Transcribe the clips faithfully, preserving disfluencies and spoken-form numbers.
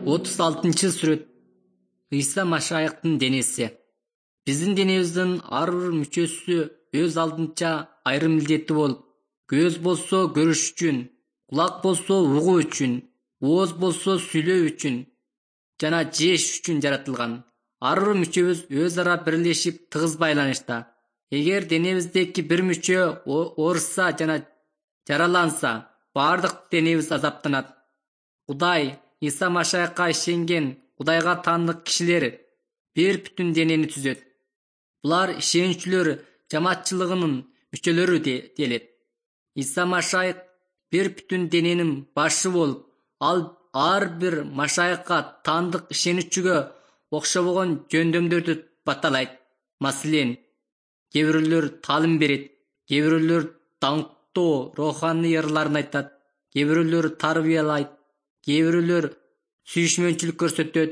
отуз алтынчы сүрөт. Ыйса Машайыктын денеси. Биздин денебиздин ар бир мүчөсү өз алдынча айрым милдети болуп, көз болсо көрүш үчүн, кулак болсо угуу үчүн, ооз болсо сүйлөө үчүн жана жеш үчүн жаратылган. Ар бир мүчөбүз өз ара бирлешип тыгыз байланышта. Эгер денебиздеги бир мүчө ооруса жана жараланса, бардык денебиз азаптанат. Кудай Иса Машайыкка ишенген Кудайга таандык кишилер бир бүтүн денени түзөт. Булар ишенүүчүлөр жамаатчылыгынын мүчөлөрү делет. Иса Машайык бир бүтүн дененин башы болуп, ал ар бир Машайыкка таандык ишенүүчүгө окшобогон жөндөмдөрдү баталайт. Маселен, кээ бирөөлөр таалим берет, кээ бирөөлөр даңктоо руханий ырларын айтат, кээ бирөөлөр тарбиялайт, кээ бирөөлөр сүйүшмөнчүлүк көрсөтөт,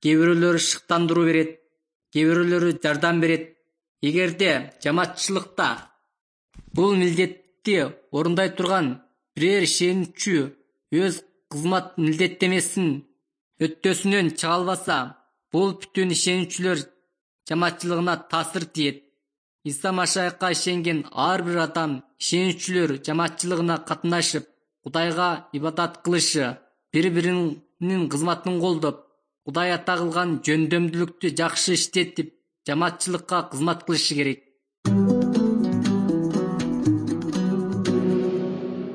кээ бирөөлөр шыктандыруу берет, кээ бирөөлөр жардам берет. Эгерде жамаатчылыкта бул милдетти орундай турган бирээр ишенүүчү өз кызмат милдеттемесин өттөсүнөн чыга албаса, бул бүтүн ишенүүчүлөр жамаатчылыгына таасир тийет. Иса Машайыкка ишенген ар бир адам ишенүүчүлөр жамаатчылыгына катнашып, Кудайга ибадат кылышы, бири-биринин кызматын колдоп, Кудай ата кылган жөндөмдүүлүктү жакшы иштетип, жамаатчылыкка кызмат кылышы керек.